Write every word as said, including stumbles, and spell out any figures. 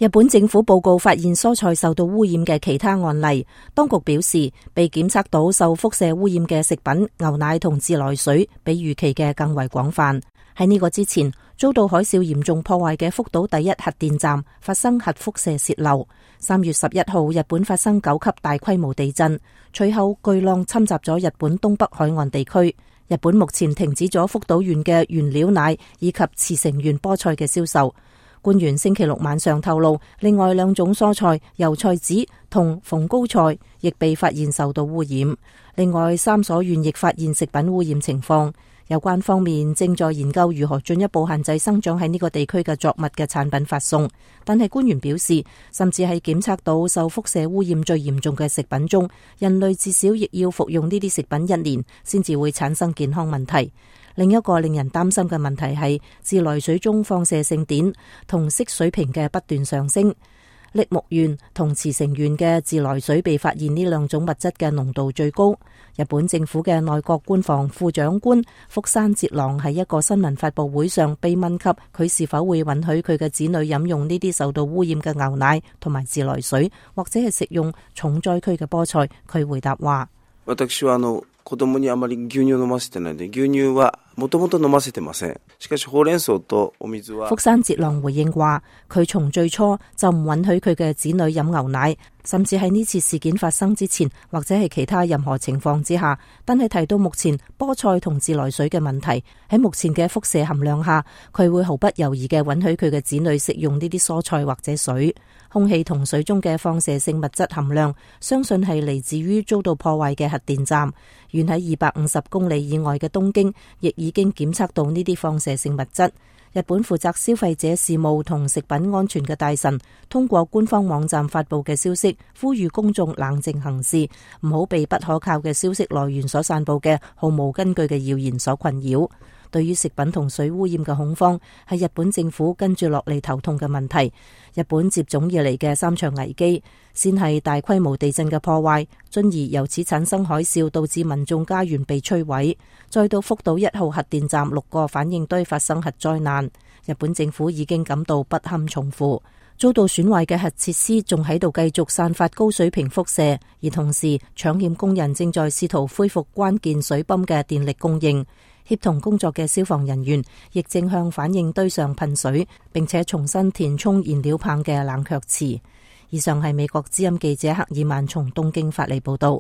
日本政府報告發現蔬菜受到污染嘅其他案例，當局表示被檢測到受輻射污染嘅食品、牛奶同自來水比預期嘅更為廣泛。喺呢個之前，遭到海嘯嚴重破壞嘅福島第一核電站發生核輻射洩漏。三月十一號，日本發生九級大規模地震，隨後巨浪侵襲咗日本東北海岸地區。日本目前停止咗福島縣嘅原料奶以及茨城縣菠菜嘅銷售。官員星期六晚上透露，另外兩種蔬菜油菜籽同蓬蒿菜亦被發現受到污染。另外三所縣亦發現食品污染情況。有關方面正在研究如何進一步限制生長喺呢個地區嘅作物嘅產品發送，但係官員表示，甚至係檢測到受輻射污染最嚴重嘅食品中，人類至少亦要服用呢啲食品一年先至會產生健康問題。另一個令人擔心嘅問題係自來水中放射性碘同硒水平嘅不斷上升。栃木縣同茨城縣嘅自來水被發現呢兩種物質嘅濃度最高。日本政府嘅內閣官房副長官福山哲郎喺一個新聞發佈會上被問及佢是否會允許佢嘅子女飲用呢啲受到污染嘅牛奶同埋自來水，或者係食用重災區嘅菠菜，佢回答話：私はあの子供にあまり牛乳飲ませてないので、牛乳はもともと飲ませてません。しかしほうれん草とお水は。福山哲郎回應話，佢從最初就唔允許佢嘅子女飲牛奶，甚至喺呢次事件發生之前，或者係其他任何情況之下。但係提到目前菠菜同自來水嘅問題，喺目前嘅輻射含量下，佢會毫不猶豫嘅允許佢嘅子女食用呢啲蔬菜或者水。空氣同水中嘅放射性物質含量，相信係嚟自於遭到破壞嘅核電站。遠喺二百五十公里以外嘅東京，亦已經檢測到呢啲放射性物質。日本負責消費者事務同食品安全嘅大臣，通過官方網站發佈嘅消息，呼籲公眾冷靜行事，唔好被不可靠嘅消息來源所散佈嘅毫無根據嘅謠言所困擾。對於食品同水污染嘅恐慌，係日本政府跟住落嚟頭痛嘅問題。日本接踵而嚟嘅三場危機，先係大規模地震嘅破壞，進而由此產生海嘯，導致民眾家園被摧毀，再到福島一號核電站六個反應堆發生核災難，日本政府已經感到不堪重負。遭到損壞嘅核設施仲喺度繼續散發高水平輻射，而同時搶險工人正在試圖恢復關鍵水泵嘅電力供應。協同工作嘅消防人員亦正向反應堆上噴水，並且重新填充燃料棒嘅冷卻池。以上係美國之音記者克爾曼從東京發嚟報道。